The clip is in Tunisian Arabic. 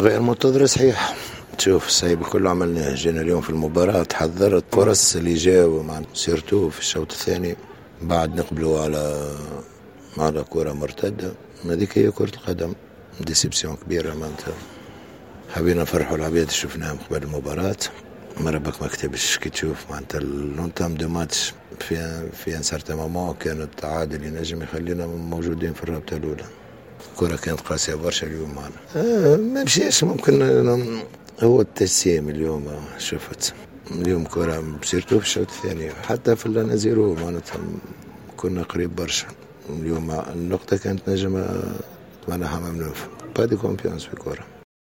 غير منتظرة صحيح. تشوف الصعيب كله عملناه، جينا اليوم في المباراة تحضرت فرص اللي جاوا مع surtout في الشوط الثاني، بعد نقبلوا على كرة مرتدة. هذيك هي كرة القدم، déception كبيرة معناتها. حبينا نفرحوا العباد شفناهم قبل المباراة، ما ربك ما كتبش. كي تشوف معناتها l'entame de match في un certain moment كان التعادل ينجم يخلينا موجودين في الرابطة الأولى. الكرة كانت قاسية برشا اليوم معنا، ما مشيش ممكن هو التجسيم اليوم. شفت اليوم كرة surtout في الشوط الثاني، حتى في ال un à zéro معناتها كنا قريب برشا. اليوم النقطة كانت نجم معناها ممنوع، pas de confiance في الكرة.